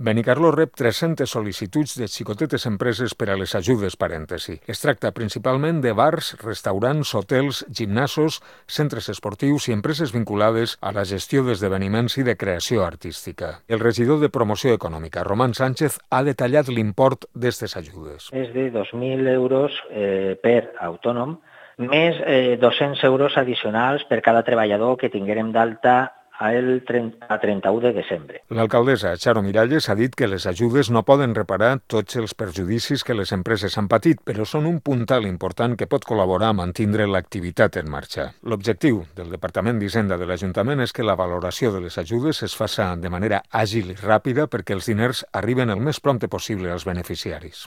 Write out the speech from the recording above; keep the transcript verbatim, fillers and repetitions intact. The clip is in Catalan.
Benicarló rep tres-centes sol·licituds de xicotetes empreses per a les ajudes parèntesi. Es tracta principalment de bars, restaurants, hotels, gimnasos, centres esportius i empreses vinculades a la gestió d'esdeveniments i de creació artística. El regidor de Promoció Econòmica, Román Sánchez, ha detallat l'import d'aquestes ajudes. És de dos mil euros eh, per autònom, més eh, dos-cents euros addicionals per cada treballador que tinguérem d'alta el trenta-u de desembre. L'alcaldessa Charo Miralles ha dit que les ajudes no poden reparar tots els perjudicis que les empreses han patit, però són un puntal important que pot col·laborar a mantindre l'activitat en marxa. L'objectiu del Departament d'Hisenda de l'Ajuntament és que la valoració de les ajudes es faça de manera àgil i ràpida perquè els diners arriben el més prompte possible als beneficiaris.